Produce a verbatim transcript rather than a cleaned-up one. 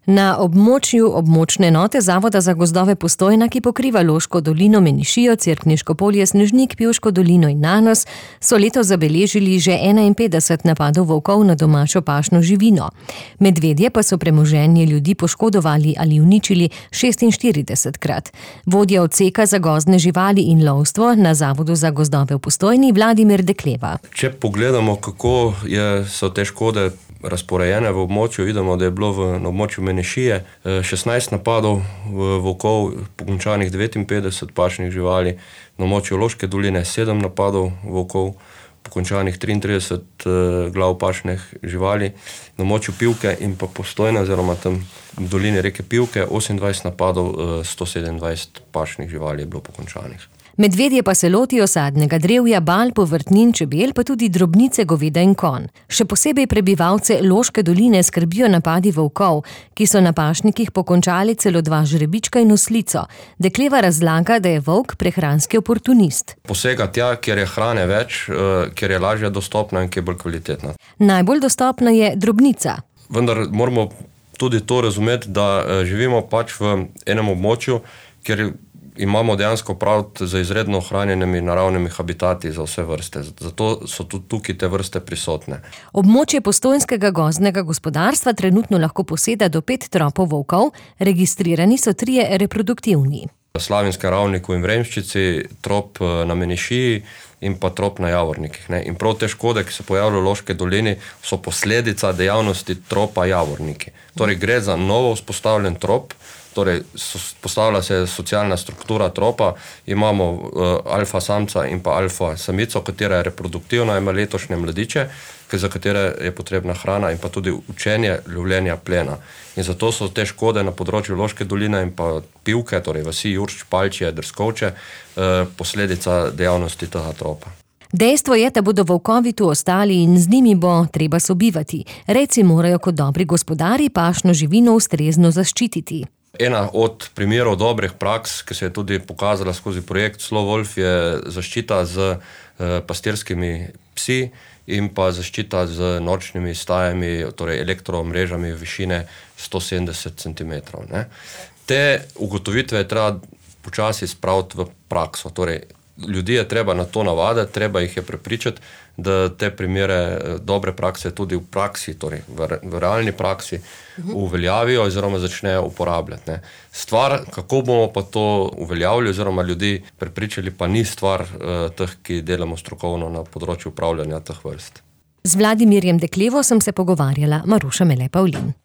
Na območju območne enote Zavoda za gozdove Postojna, ki pokriva Loško dolino, Menišijo, Cerkniško polje, Snežnik, Pivško dolino in Nanos, so letos zabeležili že enainpetdeset napadov volkov na domačo pašno živino. Medvedje pa so premoženje ljudi poškodovali ali uničili šestinštiridesetkrat. Vodja odseka za gozdne živali in lovstvo na Zavodu za gozdove v Postojni, Vladimir Dekleva. Če pogledamo, kako je, so te škode razporejene v območju, vidimo, da je bilo v, na območju Menešije šestnajst napadov volkov, pokončanih devetinpetdeset pašnih živali, na območju Loške doline sedem napadov volkov, pokončanih triintrideset glav pašnih živali, na območju Pivke in pa Postojne, oziroma tam v dolini reke Pivke, osemindvajset napadov, sto sedemindvajset pašnih živali je bilo pokončanih. Medvedje pa se lotijo sadnega drevja, bal, povrtnin, čebel, pa tudi drobnice goveda in konj. Še posebej prebivalce Loške doline skrbijo napadi volkov, ki so na pašnikih pokončali celo dva žrebička in oslico. Dekleva razlaga, da je volk prehranski oportunist. Posega tja, kjer je hrane več, kjer je lažje dostopna in kjer je bolj kvalitetna. Najbolj dostopna je drobnica. Vendar moramo tudi to razumeti, da živimo pač v enem območju, kjer imamo dejansko prav za izredno ohranjenimi naravnimi habitati za vse vrste. Zato so tudi tukaj te vrste prisotne. Območje postojnskega gozdnega gospodarstva trenutno lahko poseda do pet tropov volkov, registrirani so trije reproduktivni. V Slavinskem Ravniku in Vremščici, trop na Menešiji in pa trop na Javornikih. Ne? In prav te škode, ki se pojavljajo v Loški dolini, so posledica dejavnosti tropa Javorniki. Torej gre za novo vzpostavljen trop, torej postavlja se socialna struktura tropa, imamo uh, alfa samca in pa alfa samico, katera je reproduktivna, ima letošnje mladiče, za katere je potrebna hrana in pa tudi učenje lovljenja plena. In zato so te škode na področju Loške doline in pa Pivke, torej vasi Jurč, Palčje, Drskovče, uh, posledica dejavnosti tega tropa. Dejstvo je, da bodo volkovi tu ostali in z njimi bo treba sobivati. Rejci morajo kot dobri gospodarji pašno živino ustrezno zaščititi. Ena od primerov dobrih praks, ki se je tudi pokazala skozi projekt Slo Wolf, je zaščita z pastirskimi psi in pa zaščita z nočnimi stajami, torej elektromrežami višine sto sedemdeset centimetrov. Ne. Te ugotovitve je treba počasi spraviti v prakso. Torej, ljudi je treba na to navaditi, treba jih je prepričati, da te primere dobre prakse tudi v praksi, torej v, v realni praksi uveljavijo oziroma začnejo uporabljati. Ne. Stvar, kako bomo pa to uveljavili oziroma ljudi prepričali, pa ni stvar uh, teh, ki delamo strokovno na področju upravljanja teh vrst. Z Vladimirjem Deklevo sem se pogovarjala, Maruša Mele Pavlin.